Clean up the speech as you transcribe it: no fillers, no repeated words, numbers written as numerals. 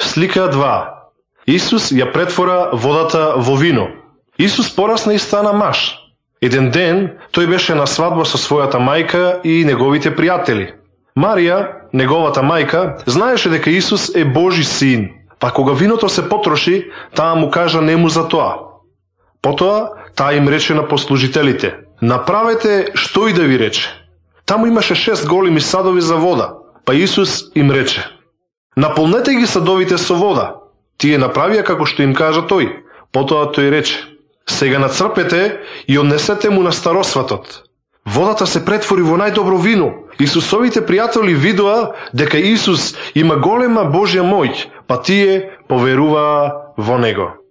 Слика 2. Исус ја претвора водата во вино. Исус порасна и стана маж. Еден ден тој беше на свадба со својата мајка и неговите пријатели. Марија, неговата мајка, знаеше дека Исус е Божи син, па кога виното се потроши, таа му кажа нему за тоа. Потоа таа им рече на послужителите: направете што и да ви рече. Таму имаше 6 големи садови за вода, па Исус им рече: наполнете ги садовите со вода. Тие направија како што им кажа тој. Потоа тој рече: сега нацрпете и однесете му на старосватот. Водата се претвори во најдобро вино. Исусовите пријатели видоа дека Исус има голема Божја моќ, па тие поверуваа во него.